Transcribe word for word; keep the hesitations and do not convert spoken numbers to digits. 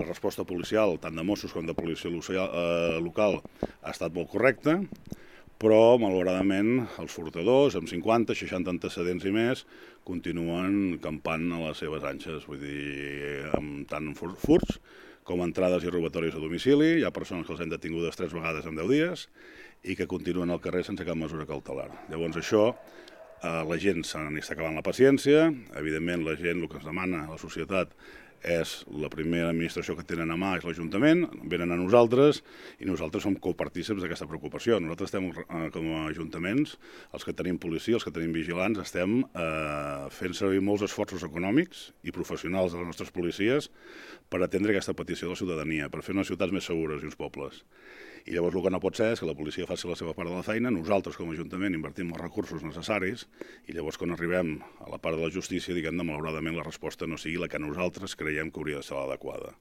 resposta policial, tant de Mossos com de policia local, ha estat molt correcta, però, malauradament, els furtadors, amb cinquanta, seixanta antecedents i més, continuen campant a les seves anxes, vull dir, amb tant furts com entrades i robatoris a domicili. Hi ha persones que els han detingudes tres vegades en deu dies i que continuen al carrer sense cap mesura cautelar. Llavors això, la gent se n'està acabant la paciència, evidentment la gent, el que ens demana la societat, és la primera administració que tenen a mà és l'Ajuntament, venen a nosaltres i nosaltres som copartícips d'aquesta preocupació. Nosaltres estem, com a ajuntaments, els que tenim policia, els que tenim vigilants, estem eh, fent servir molts esforços econòmics i professionals de les nostres policies per atendre aquesta petició de la ciutadania, per fer unes ciutats més segures i uns pobles. I llavors el que no pot ser és que la policia faci la seva part de la feina, nosaltres com a Ajuntament invertim els recursos necessaris i llavors quan arribem a la part de la justícia, diguem-ne, malauradament la resposta no sigui la que nosaltres creiem que hauria de ser l'adequada.